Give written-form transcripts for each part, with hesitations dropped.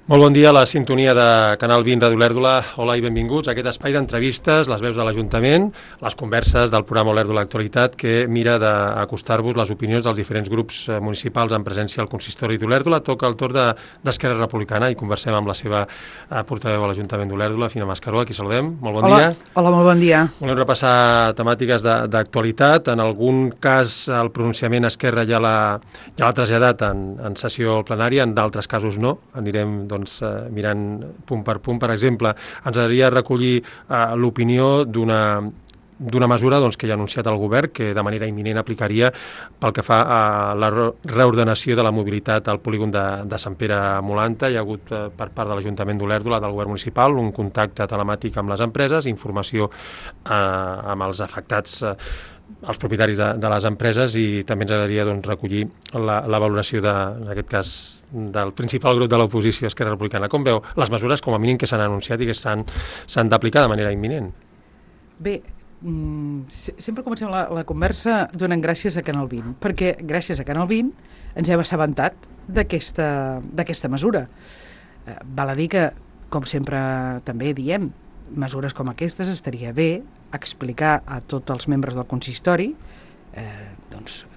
Molt bon dia a la sintonia de Canal 20 Ràdio Olèrdola. Hola i benvinguts a aquest espai d'entrevistes, les veus de l'Ajuntament, les converses del programa Olèrdola Actualitat que mira d'acostar-vos les opinions dels diferents grups municipals en presència al consistori d'Olèrdola. Toca el torn d'Esquerra Republicana i conversem amb la seva portaveu a l'Ajuntament d'Olèrdola, Fina Mascaró, a qui saludem. Molt bon dia. Hola, molt bon dia. Volem repassar temàtiques d'actualitat. En algun cas el pronunciament Esquerra ja l'ha traslladat en sessió plenària, en d'altres casos no. Anirem mirant punt per punt. Per exemple, ens agradaria recollir l'opinió d'una mesura que ja ha anunciat el govern que de manera imminent aplicaria pel que fa a la reordenació de la mobilitat al polígon de Sant Pere Molanta. Hi ha hagut per part de l'Ajuntament d'Olèrdola, del govern municipal, un contacte telemàtic amb les empreses, informació amb els afectats, els propietaris de les empreses, i també ens agradaria recollir la valoració en aquest cas del principal grup de l'oposició, Esquerra Republicana. Com veu les mesures, com a mínim, que s'han anunciat i que s'han d'aplicar de manera imminent? Bé, sempre comencem la conversa donant gràcies a Canal 20, perquè gràcies a Canal 20 ens hem assabentat d'aquesta mesura. Val a dir que, com sempre també diem, mesures com aquestes estaria bé explicar a tots els membres del consistori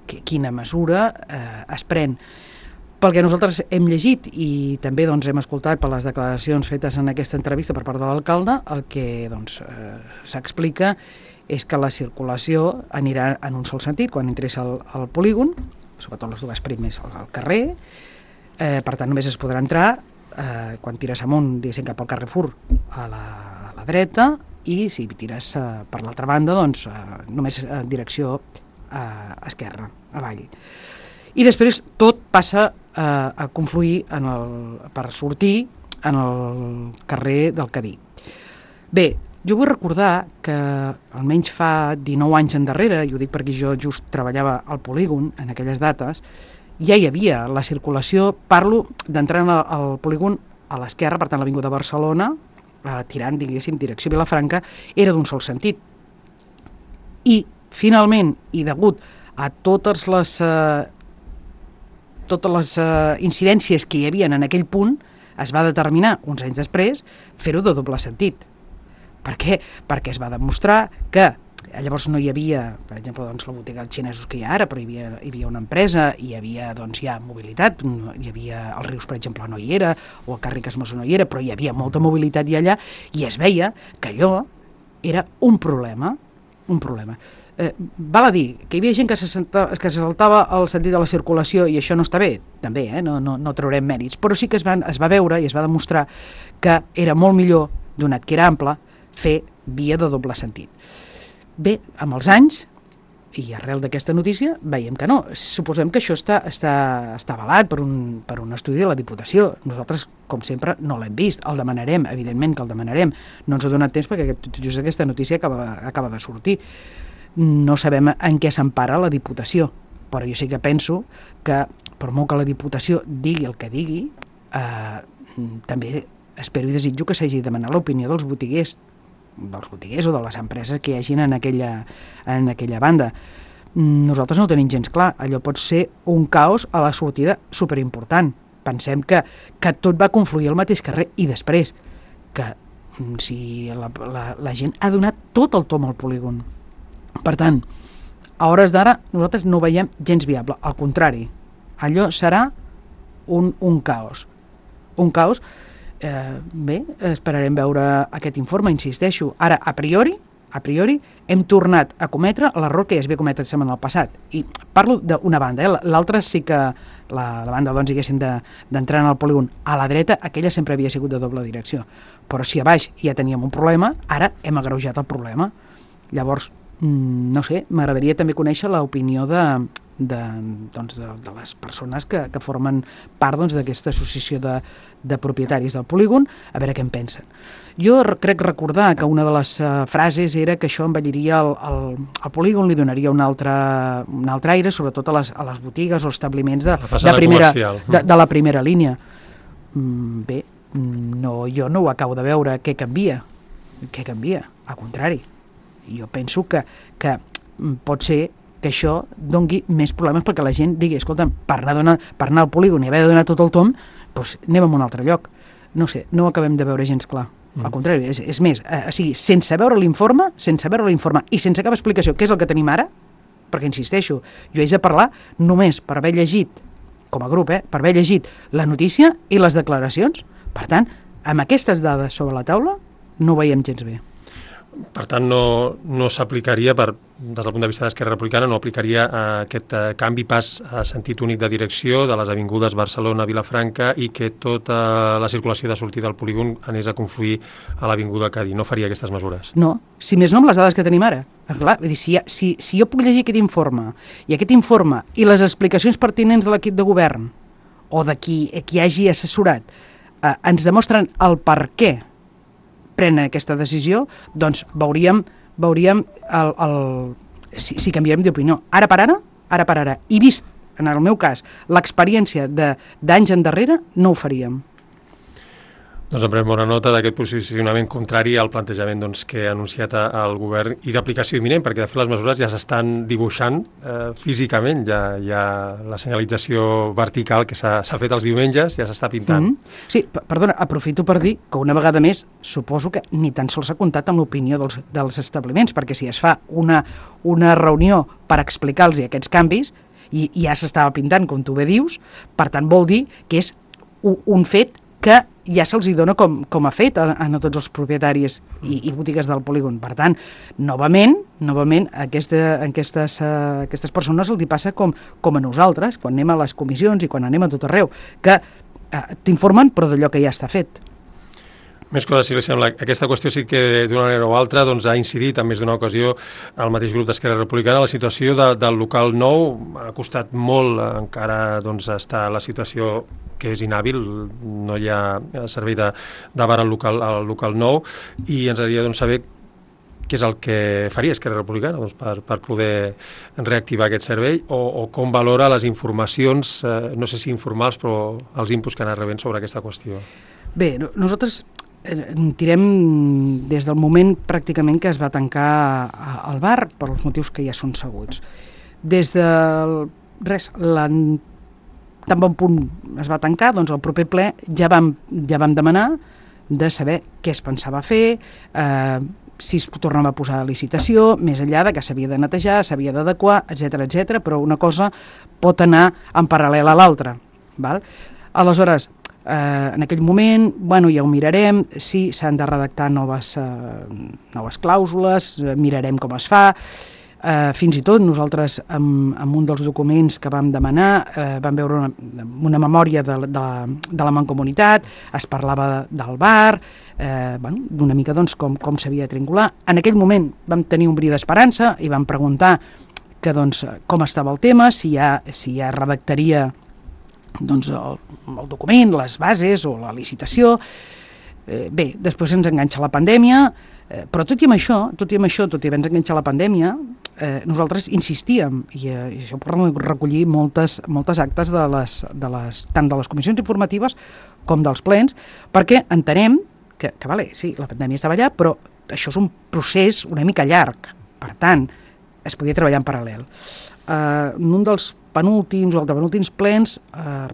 quina mesura es pren. Pel que nosaltres hem llegit i també hem escoltat per les declaracions fetes en aquesta entrevista per part de l'alcalde, el que s'explica és que la circulació anirà en un sol sentit quan entres al polígon, sobretot les dues primeres al carrer, per tant només es podrà entrar quan tires amunt, diguéssim, cap al Carrefour a la dreta, i si tires per l'altra banda, només en direcció esquerra, avall. I després tot passa a confluir per sortir en el carrer del Cadí. Bé, jo vull recordar que almenys fa 19 anys endarrere, i ho dic perquè jo just treballava al polígon en aquelles dates, ja hi havia la circulació, parlo d'entrar al polígon a l'esquerra, per tant l'avinguda Barcelona, tirant, diguéssim, direcció Vilafranca, era d'un sol sentit. I, finalment, i degut a totes les incidències que hi havia en aquell punt, es va determinar, uns anys després, fer-ho de doble sentit. Per què? Perquè es va demostrar que llavors no hi havia, per exemple, la botiga dels xinesos que hi ha ara, però hi havia una empresa, hi havia ja mobilitat, hi havia els Rius, per exemple, no hi era, o el Carri Casmoso no hi era, però hi havia molta mobilitat i allà, i es veia que allò era un problema. Val a dir que hi havia gent que se saltava el sentit de la circulació, i això no està bé, també, no traurem mèrits, però sí que es va veure i es va demostrar que era molt millor, donat que era ample, fer via de doble sentit. Bé, amb els anys, i arrel d'aquesta notícia, veiem que no. Suposem que això està avalat per un estudi de la Diputació. Nosaltres, com sempre, no l'hem vist. El demanarem, evidentment que el demanarem. No ens ha donat temps perquè just aquesta notícia acaba de sortir. No sabem en què s'empara la Diputació, però jo sí que penso que, per molt que la Diputació digui el que digui, també espero i desitjo que s'hagi de demanar l'opinió dels botiguers o de les empreses que hi hagin en aquella banda. Nosaltres no ho tenim gens clar. Allò pot ser un caos a la sortida superimportant. Pensem que tot va confluir al mateix carrer, i després que si la gent ha donat tot el tom al polígon. Per tant, a hores d'ara nosaltres no ho veiem gens viable. Al contrari, allò serà un caos. Un caos. Bé, esperarem veure aquest informe, insisteixo. Ara, a priori, hem tornat a cometre l'error que ja es havia cometre en el passat. I parlo d'una banda, l'altra sí que la banda, diguéssim, d'entrar en el polígon a la dreta, aquella sempre havia sigut de doble direcció. Però si a baix ja teníem un problema, ara hem agreujat el problema. Llavors, no sé, m'agradaria també conèixer l'opinió de les persones que formen part d'aquesta associació de propietaris del polígon, a veure què en pensen. Jo crec recordar que una de les frases era que això envelliria el polígon, li donaria un altre aire, sobretot a les botigues o establiments de la primera línia. Bé, jo no ho acabo de veure. Què canvia? Al contrari. Jo penso que pot ser que això doni més problemes perquè la gent digui, escolta'm, per anar al polígon i haver de donar tot el tom, doncs anem a un altre lloc. no sé, no ho acabem de veure gens clar. Al contrari, és més, o sigui, sense veure l'informe i sense cap explicació, què és el que tenim ara, perquè insisteixo, jo haig de parlar només per haver llegit, com a grup, per haver llegit la notícia i les declaracions. Per tant, amb aquestes dades sobre la taula no ho veiem gens bé. Per tant, no s'aplicaria, des del punt de vista d'Esquerra Republicana, no aplicaria aquest canvi pas a sentit únic de direcció de les avingudes Barcelona, Vilafranca i que tota la circulació de sortida del polígon anés a confluir a l'avinguda Cadí. No faria aquestes mesures. No, si més no amb les dades que tenim ara. Clar, vull dir, si jo puc llegir aquest informe i les explicacions pertinents de l'equip de govern o de qui hagi assessorat ens demostren el per què prenen aquesta decisió, doncs veuríem si canviarem d'opinió. Ara per ara, i vist, en el meu cas, l'experiència d'anys endarrere, no ho faríem. Doncs en prenem bona nota d'aquest posicionament contrari al plantejament que ha anunciat el govern i d'aplicació imminent, perquè de fet les mesures ja s'estan dibuixant físicament, ja hi ha la senyalització vertical que s'ha fet els diumenges, ja s'està pintant. Sí, perdona, aprofito per dir que una vegada més suposo que ni tan sols s'ha comptat amb l'opinió dels establiments, perquè si es fa una reunió per explicar-los aquests canvis i ja s'estava pintant, com tu bé dius, per tant vol dir que és un fet que ja se'ls dona com a fet a tots els propietaris i botigues del polígon. Per tant, novament a aquestes persones els passa com a nosaltres, quan anem a les comissions i quan anem a tot arreu, que t'informen però d'allò que ja està fet. Més coses, si li sembla. Aquesta qüestió sí que d'una manera o altra ha incidit en més d'una ocasió el mateix grup d'Esquerra Republicana. La situació del local nou ha costat molt, encara està la situació que és inhàbil, no hi ha servei de bar al local nou, i ens agradaria saber què és el que faria Esquerra Republicana per poder reactivar aquest servei o com valora les informacions, no sé si informals, però els inputs que han anat rebent sobre aquesta qüestió. Bé, nosaltres tirem des del moment pràcticament que es va tancar el bar per els motius que ja són sabuts. Des del tan bon punt es va tancar, doncs al proper ple ja vam demanar de saber què es pensava fer, si es tornava a posar a licitació, més enllà de que s'havia de netejar, s'havia d'adequar, etc, però una cosa pot anar en paral·lel a l'altra. Aleshores, en aquell moment, ja ho mirarem, sí, s'han de redactar noves clàusules, mirarem com es fa. Fins i tot nosaltres, amb un dels documents que vam demanar, vam veure una memòria de la Mancomunitat, es parlava del bar, d'una mica com s'havia de triangular. En aquell moment vam tenir un bri d'esperança i vam preguntar com estava el tema, si ja redactaria el document, les bases o la licitació. Bé, després ens enganxa la pandèmia, però tot i haver ens enganxat la pandèmia, nosaltres insistíem, i això per recollir moltes actes tant de les comissions informatives com dels plens, perquè entenem que sí, la pandèmia estava allà, però això és un procés una mica llarg, per tant, es podia treballar en paral·lel. En un dels penúltims o penúltims plens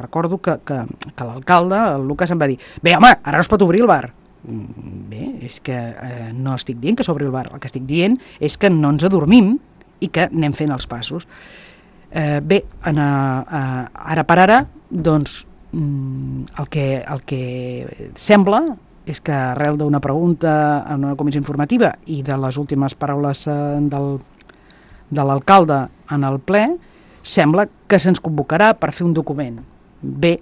recordo que l'alcalde, el Lucas, em va dir: bé, home, ara no es pot obrir el bar. Bé, és que no estic dient que s'obri el bar, el que estic dient és que no ens adormim i que anem fent els passos. Bé, ara per ara, doncs, el que sembla és que arrel d'una pregunta en una comissió informativa i de les últimes paraules de l'alcalde en el ple, sembla que se'ns convocarà per fer un document. Bé,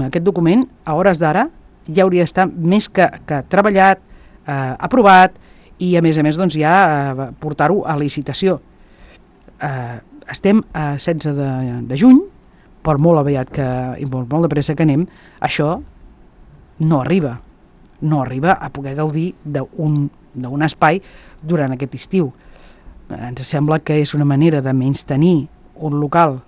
aquest document, a hores d'ara, ja hauria d'estar més que treballat, aprovat, i a més doncs, ja portar-ho a licitació. Estem a 16 de juny, per molt aviat i molt de pressa que anem, això no arriba a poder gaudir d'un espai durant aquest estiu. Ens sembla que és una manera de menystenir un local,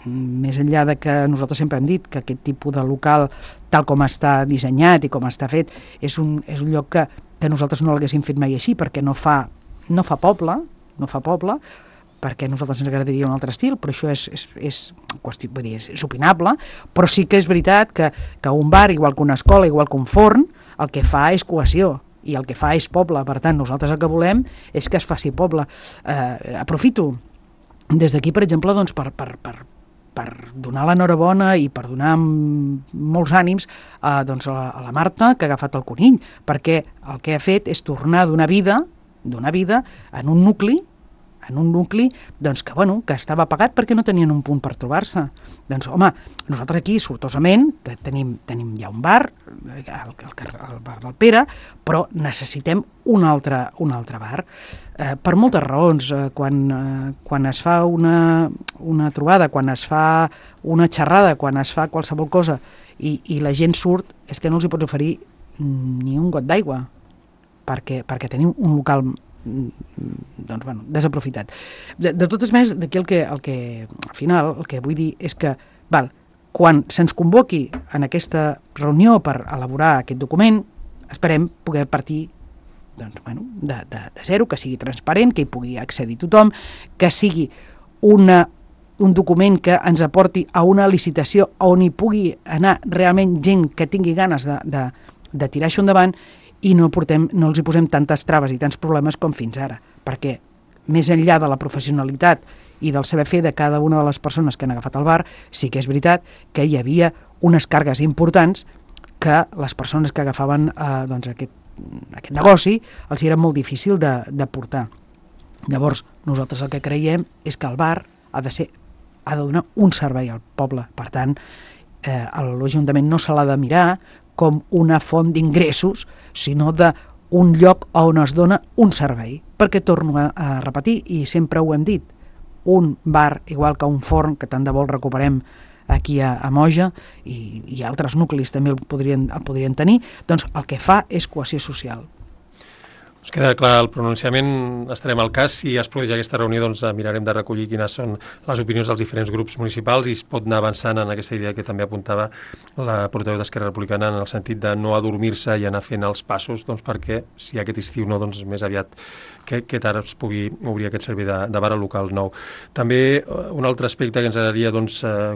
més enllà de que nosaltres sempre hem dit que aquest tipus de local, tal com està dissenyat i com està fet, és un lloc que nosaltres no l'haguéssim fet mai així, perquè no fa poble, perquè a nosaltres ens agradaria un altre estil, però això és qüestió, vull dir, és opinable, però sí que és veritat que un bar, igual que una escola, igual que un forn, el que fa és cohesió, i el que fa és poble. Per tant, nosaltres el que volem és que es faci poble. Aprofito des d'aquí, per exemple, doncs, per donar l'enhorabona i per donar molts ànims doncs a la Marta, que ha agafat el conill, perquè el que ha fet és tornar a donar vida en un nucli doncs, que estava apagat perquè no tenien un punt per trobar-se. Doncs, home, nosaltres aquí, sortosament, tenim ja un bar, el bar del Pere, però necessitem un altre bar. Per moltes raons. Quan es fa una trobada, quan es fa una xerrada, quan es fa qualsevol cosa i la gent surt, és que no els hi pots oferir ni un got d'aigua, perquè tenim un local desaprofitat. De totes maneres, d'aquí el que al final el que vull dir és que quan se'ns convoqui en aquesta reunió per elaborar aquest document, esperem poder partir de zero, que sigui transparent, que hi pugui accedir tothom, que sigui un document que ens aporti a una licitació on hi pugui anar realment gent que tingui ganes de tirar això endavant, i no els hi posem tantes traves i tants problemes com fins ara, perquè més enllà de la professionalitat i del saber fer de cada una de les persones que han agafat el bar, sí que és veritat que hi havia unes càrregues importants que les persones que agafaven aquest negoci els era molt difícil de portar. Llavors, nosaltres el que creiem és que el bar ha de donar un servei al poble. Per tant, l'Ajuntament no se l'ha de mirar com una font d'ingressos, sinó d'un lloc on es dona un servei. Perquè torno a repetir, i sempre ho hem dit, un bar, igual que un forn, que tant de bo el recuperem aquí a Moja, i altres nuclis també el podrien tenir, doncs el que fa és cohesió social. Us queda clar el pronunciament, estarem al cas. Si es produeix aquesta reunió, doncs mirarem de recollir quines són les opinions dels diferents grups municipals i es pot anar avançant en aquesta idea que també apuntava la portaveu d'Esquerra Republicana, en el sentit de no adormir-se i anar fent els passos, doncs perquè si aquest estiu no, doncs més aviat que ara es pugui obrir aquest servei de bar al local nou. També un altre aspecte que ens agradaria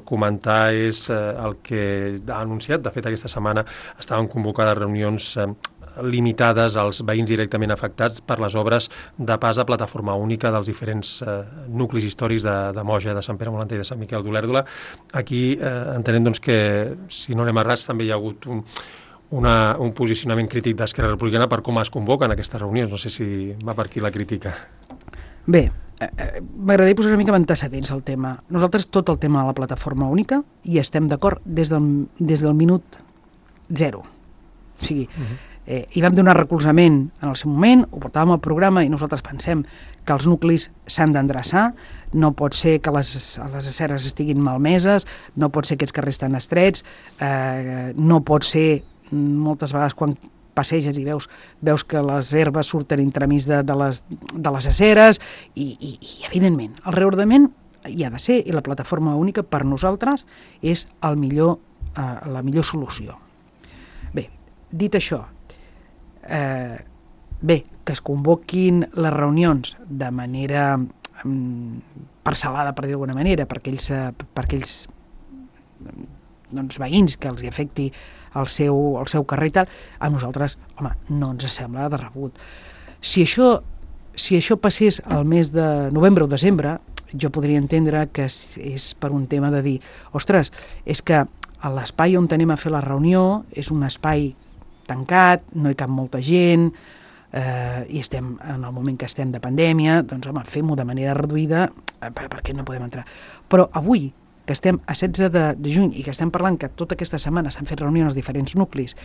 comentar és el que ha anunciat. De fet, aquesta setmana estaven convocades reunions limitades als veïns directament afectats per les obres de pas a plataforma única dels diferents nuclis històrics de Moja, de Sant Pere Molanta i de Sant Miquel d'Olèrdola. Aquí entenem que, si no anem errats, també hi ha hagut un posicionament crític d'Esquerra Republicana per com es convoquen aquestes reunions. No sé si va per aquí la crítica. Bé, m'agradaria posar una mica antecedents al tema. Nosaltres tot el tema de la plataforma única hi estem d'acord des del minut zero. O sigui, hi vam donar recolzament en el seu moment, ho portàvem al programa i nosaltres pensem que els nuclis s'han d'endreçar, no pot ser que les aceres estiguin malmeses, no pot ser que aquests carrers estan estrets, no pot ser, moltes vegades quan passeges i veus que les herbes surten entremig de les aceres i evidentment, el reordament hi ha de ser i la plataforma única per nosaltres és la millor solució. Bé, dit això, que es convoquin les reunions de manera parcel·lada, per dir d'alguna manera, per aquells veïns que els hi afecti el seu carrer i tal, a nosaltres, home, no ens sembla de rebut. Si això passés al mes de novembre o desembre, jo podria entendre que és per un tema de dir, ostres, és que l'espai on anem a fer la reunió és un espai tancat, no hi cap molta gent, i estem en el moment que estem de pandèmia, doncs home, fem-ho de manera reduïda perquè no podem entrar. Però avui, que estem a 16 de juny i que estem parlant que tota aquesta setmana s'han fet reunions als diferents nuclis,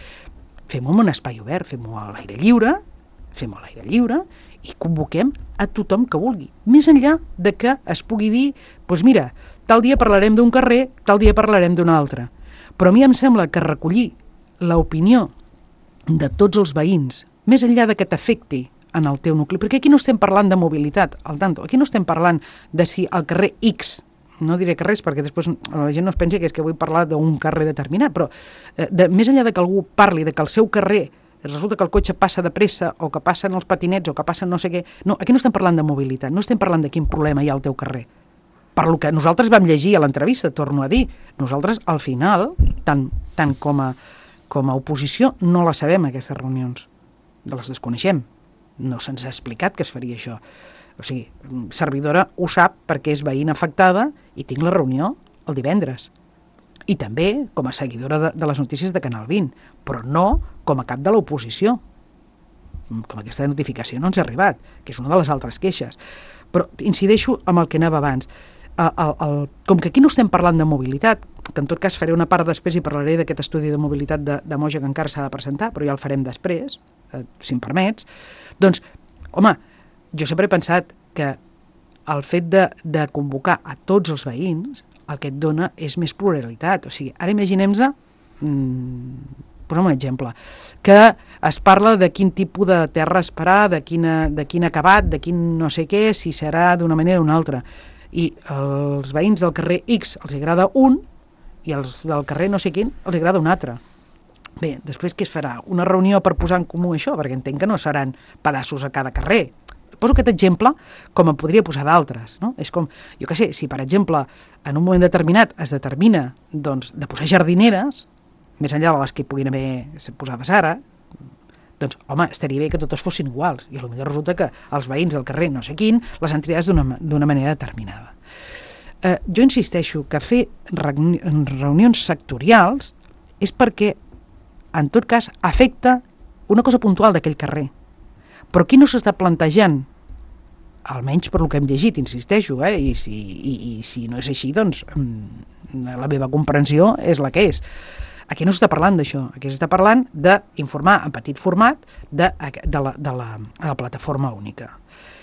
fem-ho en un espai obert, fem-ho a l'aire lliure i convoquem a tothom que vulgui. Més enllà de que es pugui dir, doncs mira, tal dia parlarem d'un carrer, tal dia parlarem d'un altre. Però a mi em sembla que recollir l'opinió de tots els veïns, més enllà de que t'afecti en el teu nucli, perquè aquí no estem parlant de mobilitat, al tanto, aquí no estem parlant de si el carrer X, no diré carrers perquè després la gent no es pensi que és que vull parlar d'un carrer determinat, però més enllà de que algú parli de que el seu carrer resulta que el cotxe passa de pressa o que passen els patinets o que passen no sé què. No, aquí no estem parlant de mobilitat, no estem parlant de quin problema hi ha al teu carrer. Per lo que nosaltres vam llegir a l'entrevista, torno a dir, nosaltres al final, tant com a oposició, no la sabem aquestes reunions, les desconeixem. No se'ns ha explicat que es faria això. O sigui, servidora ho sap perquè és veïna afectada i tinc la reunió el divendres. I també com a seguidora de les notícies de Canal 20, però no com a cap de l'oposició. Com aquesta notificació no ens ha arribat, que és una de les altres queixes. Però incideixo amb el que anava abans. Com que aquí no estem parlant de mobilitat, que en tot cas faré una part després i parlaré d'aquest estudi de mobilitat de Moja que encara s'ha de presentar, però ja el farem després, si em permets, doncs, home, jo sempre he pensat que el fet de convocar a tots els veïns el que et dona és més pluralitat. O sigui, ara imaginem-nos, posem un exemple, que es parla de quin tipus de terra esperar, de quin acabat, de quin no sé què, si serà d'una manera o d'una altra. I als veïns del carrer X els agrada un i als del carrer no sé quin els agrada un altre. Bé, després què es farà? Una reunió per posar en comú això? Perquè entenc que no seran pedaços a cada carrer. Poso aquest exemple com en podria posar d'altres, no? És com, jo què sé, si per exemple en un moment determinat es determina doncs, de posar jardineres, més enllà de les que puguin haver posades ara, doncs, home, estaria bé que totes fossin iguals, i potser resulta que els veïns del carrer no sé quin les han triat d'una manera determinada. Jo insisteixo que fer reunions sectorials és perquè, en tot cas, afecta una cosa puntual d'aquell carrer. Però aquí no s'està plantejant, almenys per lo que hem llegit, insisteixo, i si no és així, doncs la meva comprensió és la que és. Aquí no s'està parlant d'això, aquí s'està parlant d'informar en petit format de la plataforma única.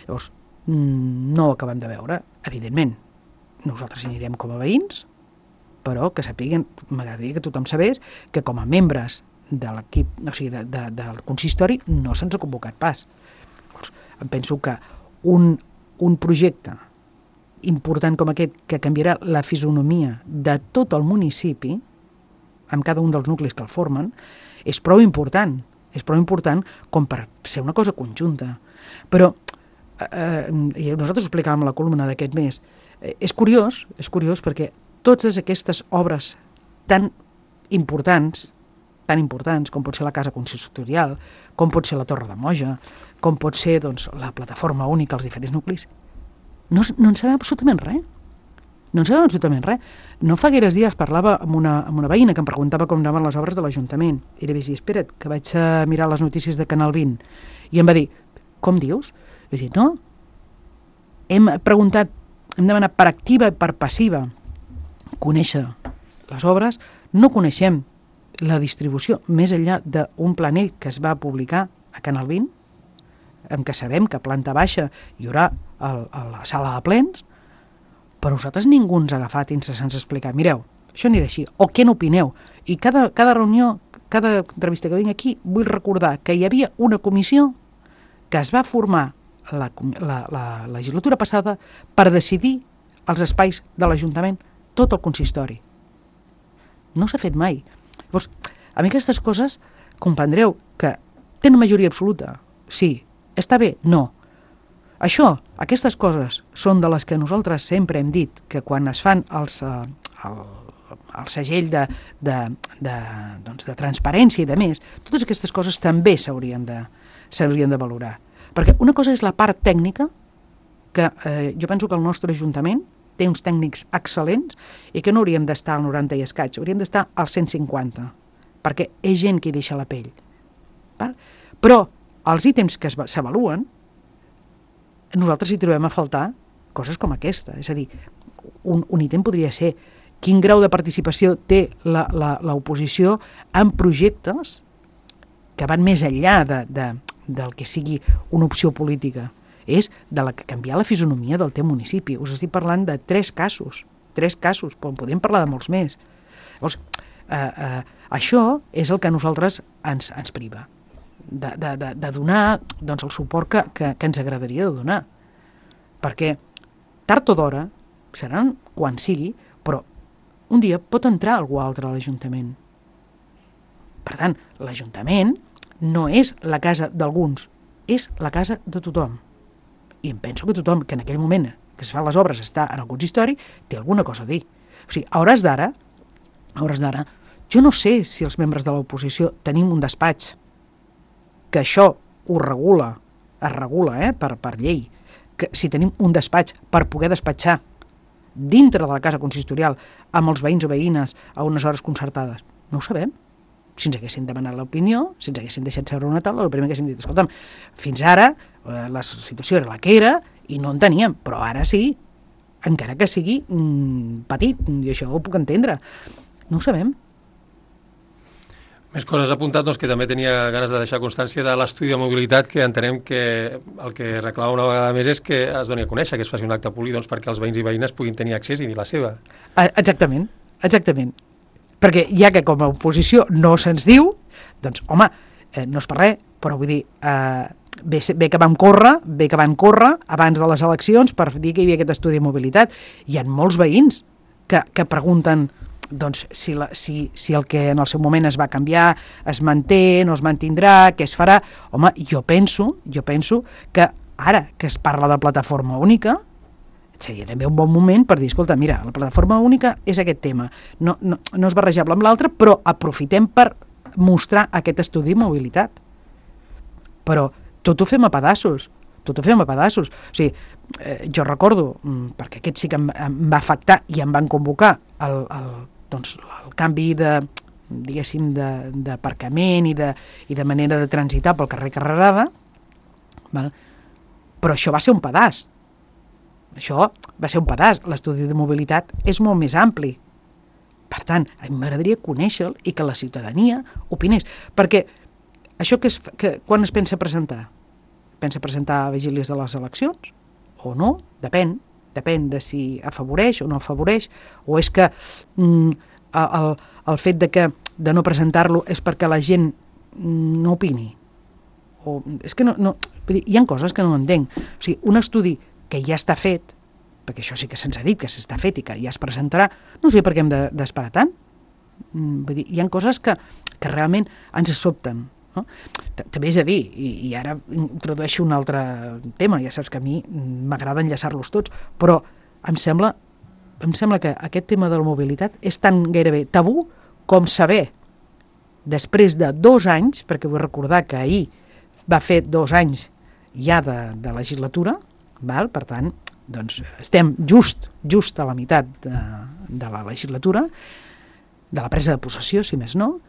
Llavors, no ho acabem de veure, evidentment. Nosaltres hi anirem com a veïns, però que sapiguen, m'agradaria que tothom sabés que com a membres de l'equip, o sigui, del consistori, no se'ns ha convocat pas. Llavors, em penso que un projecte important com aquest, que canviarà la fisonomia de tot el municipi, amb cada un dels nuclis que el formen, és prou important com per ser una cosa conjunta. Però nosaltres ho explicàvem a la columna d'aquest mes, és curiós perquè totes aquestes obres tan importants com pot ser la casa consistorial, com pot ser la Torre de Moja, com pot ser doncs, la plataforma única als diferents nuclis, no en sabem absolutament res. No en sabem absolutament res. No fa gaires dies parlava amb una veïna que em preguntava com anaven les obres de l'Ajuntament. I li vaig dir, espera't, que vaig a mirar les notícies de Canal 20. I em va dir, com dius? Vaig dir, no. Hem demanat per activa i per passiva conèixer les obres, no coneixem la distribució més enllà d'un planell que es va publicar a Canal 20, en què sabem que a planta baixa hi haurà la sala de plens, però nosaltres ningú ens ha agafat i ens ha explicat, mireu, això anirà així, o què n'opineu? I cada reunió, cada entrevista que vinc aquí, vull recordar que hi havia una comissió que es va formar la legislatura passada per decidir els espais de l'Ajuntament, tot el consistori. No s'ha fet mai. Llavors, a mi aquestes coses, comprendreu que tenen majoria absoluta. Sí. Està bé? No. Això, aquestes coses, són de les que nosaltres sempre hem dit que quan es fan el segell de transparència i de més, totes aquestes coses també s'haurien de valorar. Perquè una cosa és la part tècnica, que jo penso que el nostre Ajuntament té uns tècnics excel·lents i que no hauríem d'estar al 90 i escaig, hauríem d'estar al 150, perquè és gent que hi deixa la pell. Val? Però els ítems que s'avaluen, nosaltres hi trobem a faltar coses com aquesta. És a dir, un ítem podria ser quin grau de participació té l'oposició en projectes que van més enllà del que sigui una opció política. És de la que canviar la fisonomia del teu municipi. Us estic parlant de 3 casos, però en podem parlar de molts més. Llavors, això és el que a nosaltres ens priva. De donar doncs, el suport que ens agradaria de donar. Perquè tard o d'hora, seran quan sigui, però un dia pot entrar algú altre a l'Ajuntament. Per tant, l'Ajuntament no és la casa d'alguns, és la casa de tothom. I em penso que tothom que en aquell moment que es fan les obres està en el consistori té alguna cosa a dir. O sigui, a hores d'ara, jo no sé si els membres de l'oposició tenim un despatx que això ho regula, es regula per llei, que si tenim un despatx per poder despatxar dintre de la casa consistorial amb els veïns o veïnes a unes hores concertades. No ho sabem. Si ens haguessin demanat l'opinió, si ens haguessin deixat seure una taula, el primer que haguéssim dit, escolta'm, fins ara la situació era la que era i no en teníem, però ara sí, encara que sigui petit, i això ho puc entendre. No ho sabem. Més coses apuntat, doncs, que també tenia ganes de deixar constància de l'estudi de mobilitat, que entenem que el que reclama una vegada més és que es doni a conèixer, que es faci un acte públic, doncs, perquè els veïns i veïnes puguin tenir accés i dir la seva. Exactament. Perquè ja que com a oposició no se'ns diu, doncs, home, no és per res, però vull dir, bé que van córrer abans de les eleccions per dir que hi havia aquest estudi de mobilitat. Hi ha molts veïns que pregunten doncs, si el que en el seu moment es va canviar es manté, no es mantindrà, què es farà. Home, jo penso que ara que es parla de plataforma única, seria també un bon moment per dir, escolta, mira, la plataforma única és aquest tema, no és barrejable amb l'altre, però aprofitem per mostrar aquest estudi de mobilitat. Però tot ho fem a pedaços. O sigui, jo recordo, perquè aquest sí que em va afectar i em van convocar el canvi diguéssim, d'aparcament i de manera de transitar pel carrer Carrerada, val? Però això va ser un pedaç. L'estudi de mobilitat és molt més ampli. Per tant, a mi m'agradaria conèixer-lo i que la ciutadania opinés. Perquè això quan es pensa presentar? Pensa presentar a vigílies de les eleccions? O no? Depèn de si afavoreix o no afavoreix, o és que el fet de no presentar-lo és perquè la gent no opini. O és que no, hi ha coses que no entenc. O sigui, un estudi que ja està fet, perquè això sí que se'ns ha dit que s'està fet i que ja es presentarà, no sé per què hem d'esperar tant. Vull dir, hi ha coses que realment ens sobten. No? També és a dir, i ara introdueixo un altre tema, ja saps que a mi m'agrada enllaçar-los tots, però em sembla que aquest tema de la mobilitat és tan gairebé tabú com saber, després de 2 anys, perquè vull recordar que ahir va fer 2 anys ja de legislatura, val? Per tant, doncs estem just a la meitat de la legislatura, de la presa de possessió, si més no,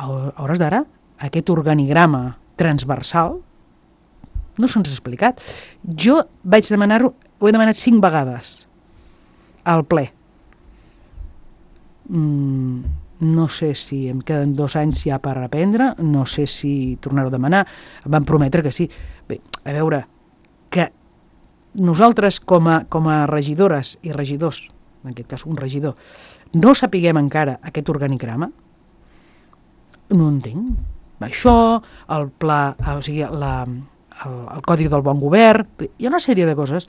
a hores d'ara, aquest organigrama transversal no se'ns ha explicat. Jo vaig demanar-ho, ho he demanat 5 vegades al ple. No sé si em queden 2 anys ja per aprendre, no sé si tornar-ho a demanar. Em van prometre que sí. Bé, a veure, que nosaltres com a regidores i regidors, en aquest cas un regidor, no sapiguem encara aquest organigrama, no entenc. Això, el pla, o sigui, el codi del bon govern, hi ha una sèrie de coses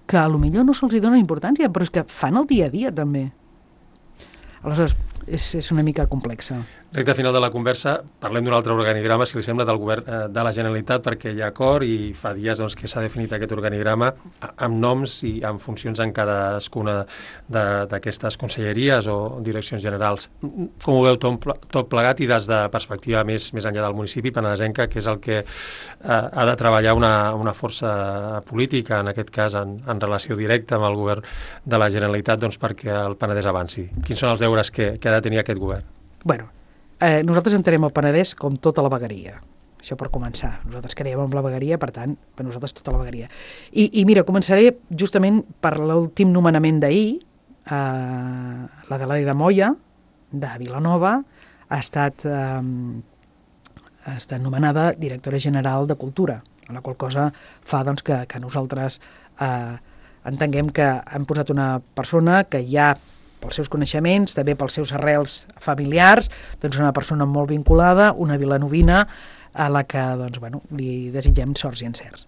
que potser no se'ls dona importància, però és que fan el dia a dia també. Aleshores, és una mica complexa. Recte final de la conversa, parlem d'un altre organigrama, si li sembla, del govern de la Generalitat, perquè hi ha acord i fa dies doncs, que s'ha definit aquest organigrama amb noms i amb funcions en cadascuna d'aquestes conselleries o direccions generals. Com ho veu tot plegat i des de perspectiva més enllà del municipi penedesenca, que és el que ha de treballar una força política, en aquest cas en relació directa amb el govern de la Generalitat, doncs, perquè el Penedès avanci? Quins són els deures que ha de tenir aquest govern? Bueno, nosaltres entenem el Penedès com tota la vegueria. Això per començar. Nosaltres creiem en la vegueria, per tant, per nosaltres tota la vegueria. I mira, començaré justament per l'últim nomenament d'ahir. L'Adelaida Moya, de Vilanova, ha estat nomenada directora general de Cultura, la qual cosa fa doncs, que nosaltres entenguem que hem posat una persona que ja pels seus coneixements, també pels seus arrels familiars, doncs una persona molt vinculada, una vilanovina, a la que doncs, bueno, li desitgem sorts i encerts.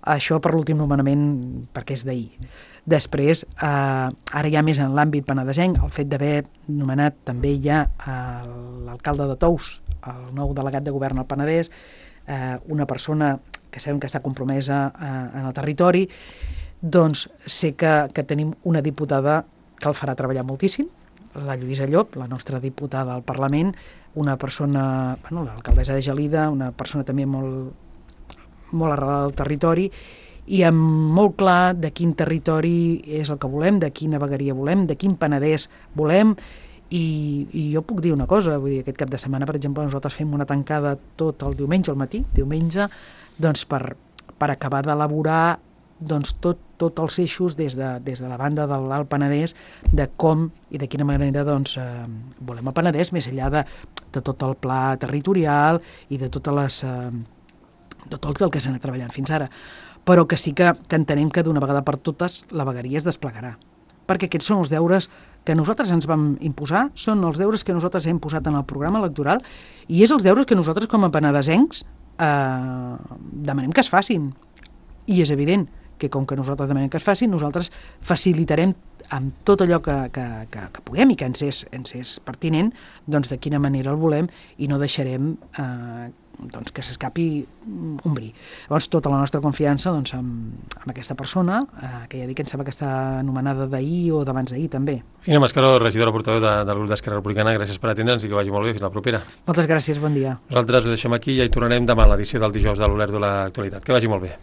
Això per l'últim nomenament, perquè és d'ahir. Després, ara ja més en l'àmbit penedesenc, el fet d'haver nomenat també ja l'alcalde de Tous, el nou delegat de govern al Penedès, una persona que sabem que està compromesa en el territori, doncs sé que tenim una diputada que el farà treballar moltíssim, la Lluïsa Llop, la nostra diputada al Parlament, una persona, l'alcaldessa de Gelida, una persona també molt arrelada al territori, i amb molt clar de quin territori és el que volem, de quina vegueria volem, de quin Penedès volem, i jo puc dir una cosa, vull dir, aquest cap de setmana, per exemple, nosaltres fem una tancada tot el diumenge al matí, doncs per acabar d'elaborar doncs tots els eixos des de la banda de l'Alt Penedès de com i de quina manera doncs, volem el Penedès, més enllà de tot el pla territorial i de tot el que s'ha anat treballant fins ara, però que sí que entenem que d'una vegada per totes la vegueria es desplegarà, perquè aquests són els deures que nosaltres ens vam imposar, són els deures que nosaltres hem posat en el programa electoral i és els deures que nosaltres com a penedesencs demanem que es facin. I és evident que com que nosaltres demanem que es facin, nosaltres facilitarem amb tot allò que puguem i que ens és pertinent, doncs de quina manera el volem i no deixarem doncs que s'escapi un bri. Llavors, tota la nostra confiança doncs, amb aquesta persona, que ja dic que em sembla que està anomenada d'ahir o d'abans d'ahir també. Fina Mascaró, regidora portaveu del grup d'Esquerra Republicana, gràcies per atendre'ns i que vagi molt bé. Fins la propera. Moltes gràcies, bon dia. Nosaltres ho deixem aquí i ja hi tornarem demà a l'edició del dijous de l'Olert de l'Actualitat. Que vagi molt bé.